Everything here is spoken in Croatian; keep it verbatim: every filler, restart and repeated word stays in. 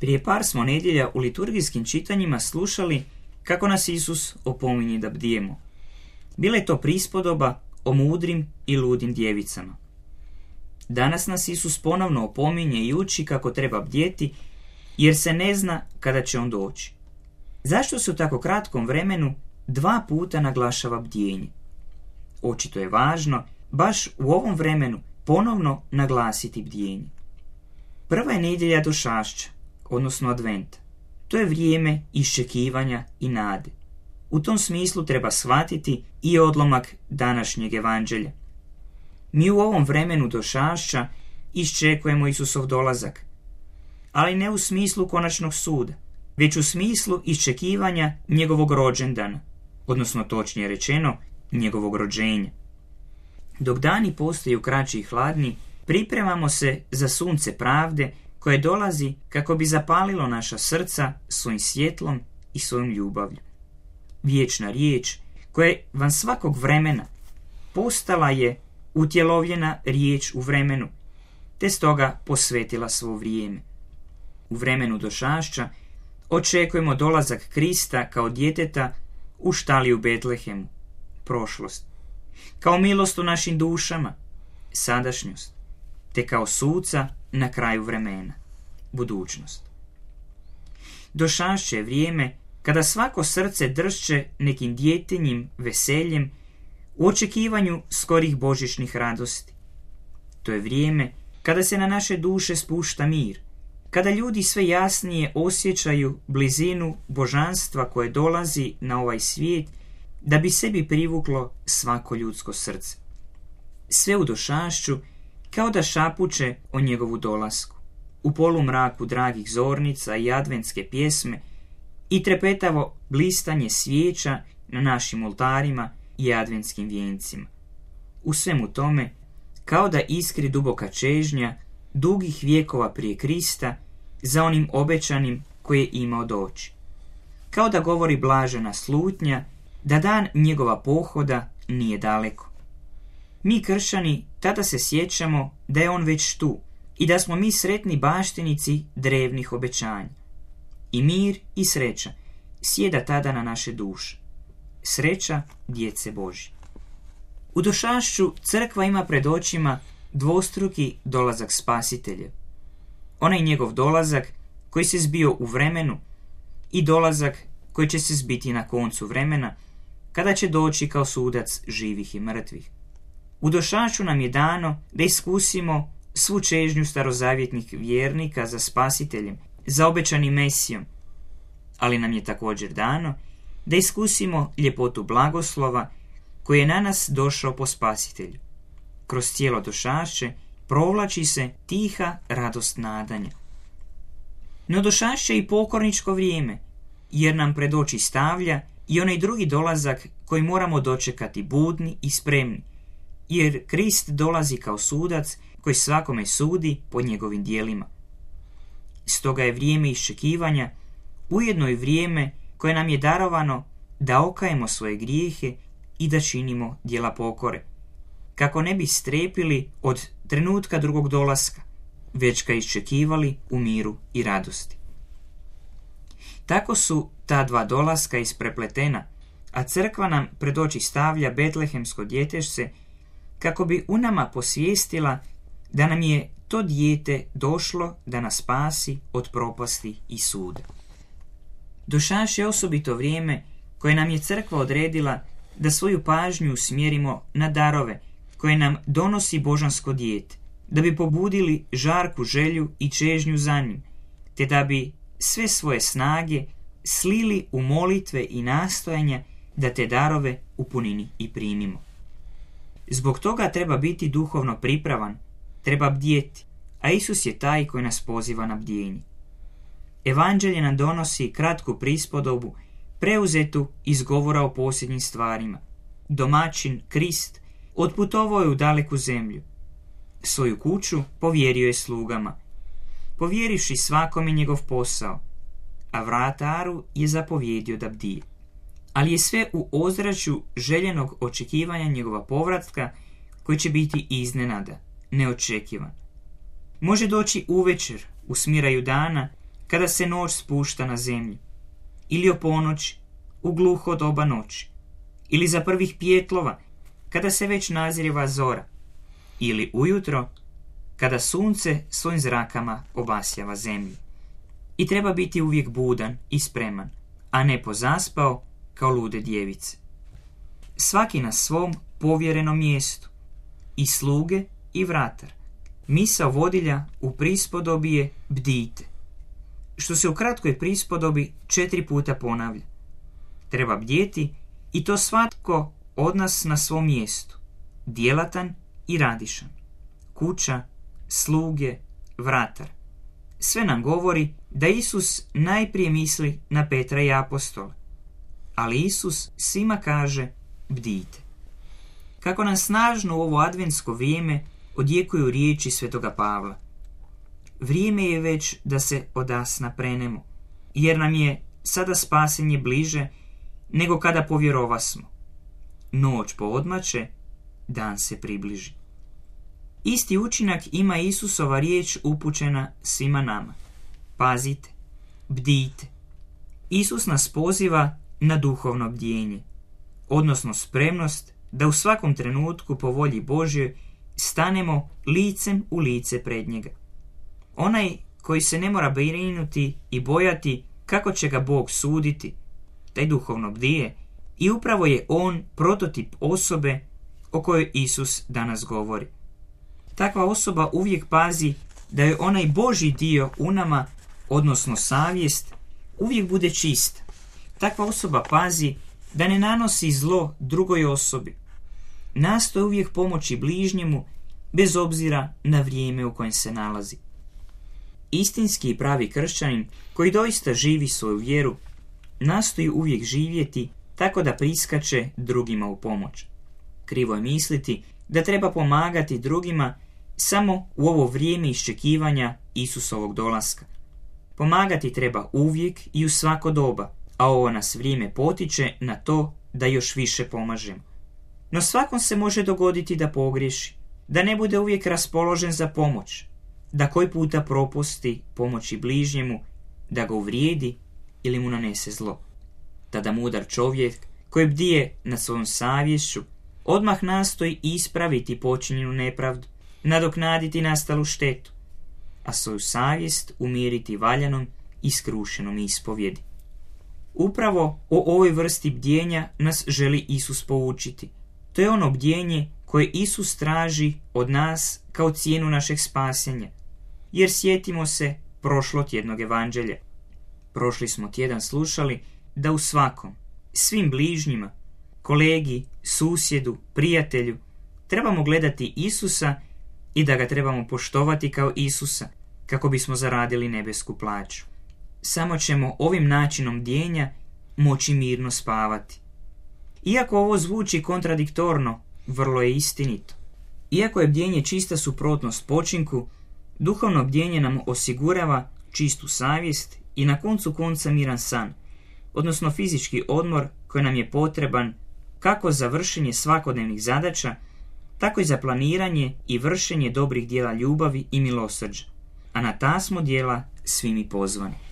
Prije par smo nedjelja u liturgijskim čitanjima slušali kako nas Isus opominje da bdijemo. Bila je to prispodoba o mudrim i ludim djevicama. Danas nas Isus ponovno opominje i uči kako treba bdjeti, jer se ne zna kada će on doći. Zašto se u tako kratkom vremenu dva puta naglašava bdjenje? Očito je važno baš u ovom vremenu ponovno naglasiti bdjenje. Prva je nedjelja došašća, odnosno adventa. To je vrijeme iščekivanja i nade. U tom smislu treba shvatiti i odlomak današnjeg evanđelja. Mi u ovom vremenu došašća iščekujemo Isusov dolazak, ali ne u smislu konačnog suda, već u smislu iščekivanja njegovog rođendana, odnosno točnije rečeno, njegovog rođenja. Dok dani postaju kraći i hladni, pripremamo se za sunce pravde koje dolazi kako bi zapalilo naša srca svojim svjetlom i svojom ljubavlju. Vječna riječ koja je van svakog vremena postala je utjelovljena riječ u vremenu, te stoga posvetila svo vrijeme. U vremenu došašća očekujemo dolazak Krista kao djeteta u štali u Betlehemu, prošlost, kao milost u našim dušama, sadašnjost, te kao suca na kraju vremena, budućnost. Došašće je vrijeme kada svako srce dršće nekim djetinjim veseljem u očekivanju skorih božićnih radosti. To je vrijeme kada se na naše duše spušta mir, kada ljudi sve jasnije osjećaju blizinu božanstva koje dolazi na ovaj svijet da bi sebi privuklo svako ljudsko srce. Sve u došašću kao da šapuće o njegovu dolasku. U polumraku dragih zornica i adventske pjesme i trepetavo blistanje svijeća na našim oltarima i adventskim vijencima. U svemu tome, kao da iskri duboka čežnja dugih vijekova prije Krista za onim obećanim koje je imao doći. Kao da govori blažena slutnja da dan njegova pohoda nije daleko. Mi kršćani tada se sjećamo da je on već tu i da smo mi sretni baštinici drevnih obećanja. I mir i sreća sjeda tada na naše duše. Sreća djece Božje. U došašću crkva ima pred očima dvostruki dolazak Spasitelja. Onaj njegov dolazak koji se zbio u vremenu i dolazak koji će se zbiti na koncu vremena, kada će doći kao sudac živih i mrtvih. U došašću nam je dano da iskusimo svu čežnju starozavjetnih vjernika za Spasiteljem, za obećanim Mesijom, ali nam je također dano da iskusimo ljepotu blagoslova koji je na nas došao po Spasitelju. Kroz cijelo došašće provlači se tiha radost nadanja. No došašće je i pokorničko vrijeme, jer nam pred oči stavlja i onaj drugi dolazak koji moramo dočekati budni i spremni, jer Krist dolazi kao sudac koji svakome sudi po njegovim djelima. Stoga je vrijeme iščekivanja ujedno i vrijeme koje nam je darovano da okajemo svoje grijehe i da činimo djela pokore, kako ne bi strepili od trenutka drugog dolaska, već ga iščekivali u miru i radosti. Tako su ta dva dolaska isprepletena, a crkva nam pred oči stavlja betlehemsko djetešce kako bi u nama posvijestila da nam je to dijete došlo da nas spasi od propasti i suda. Došašće je osobito vrijeme koje nam je crkva odredila da svoju pažnju usmjerimo na darove koje nam donosi božansko dijete, da bi pobudili žarku želju i čežnju za njim, te da bi sve svoje snage slili u molitve i nastojanja da te darove u punini i primimo. Zbog toga treba biti duhovno pripravan, treba bdjeti, a Isus je taj koji nas poziva na bdjenje. Evanđelje nam donosi kratku prispodobu preuzetu iz govora o posljednjim stvarima. Domaćin, Krist, otputovao je u daleku zemlju. Svoju kuću povjerio je slugama, povjerivši svakome njegov posao, a vrataru je zapovjedio da bdije. Ali je sve u ozračju željenog očekivanja njegova povratka, koji će biti iznenada, neočekivan. Može doći uvečer, u smiraju dana, kada se noć spušta na zemlju, ili o ponoći, u gluho doba noći, ili za prvih pijetlova, kada se već nazrijeva zora, ili ujutro, kada sunce svojim zrakama obasjava zemlju. I treba biti uvijek budan i spreman, a ne pozaspao kao lude djevice. Svaki na svom povjerenom mjestu, i sluge i vratar. Misao vodilja u prispodobi je bdijte, što se u kratkoj prispodobi četiri puta ponavlja. Treba bdjeti i to svatko od nas na svom mjestu, djelatan i radišan. Kuća, sluge, vratar. Sve nam govori da Isus najprije misli na Petra i apostola, ali Isus svima kaže bdijte. Kako nam snažno u ovo adventsko vrijeme odjekuju riječi svetoga Pavla. Vrijeme je već da se odasna prenemo, jer nam je sada spasenje bliže nego kada povjerovasmo. Noć poodmače, dan se približi. Isti učinak ima Isusova riječ upućena svima nama. Pazite, bdijte. Isus nas poziva na duhovno bdjenje, odnosno spremnost da u svakom trenutku po volji Božjoj stanemo licem u lice pred njega. Onaj koji se ne mora brinuti i bojati kako će ga Bog suditi, taj duhovno bdije, i upravo je on prototip osobe o kojoj Isus danas govori. Takva osoba uvijek pazi da je onaj Božji dio u nama, odnosno savjest, uvijek bude čist. Takva osoba pazi da ne nanosi zlo drugoj osobi. Nastoji uvijek pomoći bližnjemu bez obzira na vrijeme u kojem se nalazi. Istinski i pravi kršćanin koji doista živi svoju vjeru nastoji uvijek živjeti tako da priskače drugima u pomoć. Krivo je misliti da treba pomagati drugima samo u ovo vrijeme iščekivanja Isusovog dolaska. Pomagati treba uvijek i u svako doba, a ovo nas vrijeme potiče na to da još više pomažemo. No svakom se može dogoditi da pogriješi, da ne bude uvijek raspoložen za pomoć, da koji puta propusti pomoći bližnjemu, da ga uvrijedi ili mu nanese zlo. Tada mudar čovjek koji bdije nad svojom savješću odmah nastoji ispraviti počinjenu nepravdu, nadoknaditi nastalu štetu, a svoju savjest umiriti valjanom i skrušenom ispovjedi. Upravo o ovoj vrsti bdjenja nas želi Isus poučiti. To je ono bdjenje koje Isus traži od nas kao cijenu našeg spasenja. Jer sjetimo se prošlotjednog evanđelja. Prošli smo tjedan slušali da u svakom, svim bližnjima, kolegi, susjedu, prijatelju, trebamo gledati Isusa i da ga trebamo poštovati kao Isusa, kako bismo zaradili nebesku plaću. Samo ćemo ovim načinom bdjenja moći mirno spavati. Iako ovo zvuči kontradiktorno, vrlo je istinito. Iako je bdjenje čista suprotnost počinku, duhovno bdjenje nam osigurava čistu savjest i na koncu konca miran san, odnosno fizički odmor koji nam je potreban kako za vršenje svakodnevnih zadaća, tako i za planiranje i vršenje dobrih djela ljubavi i milosrđa, a na ta smo djela svi mi pozvani.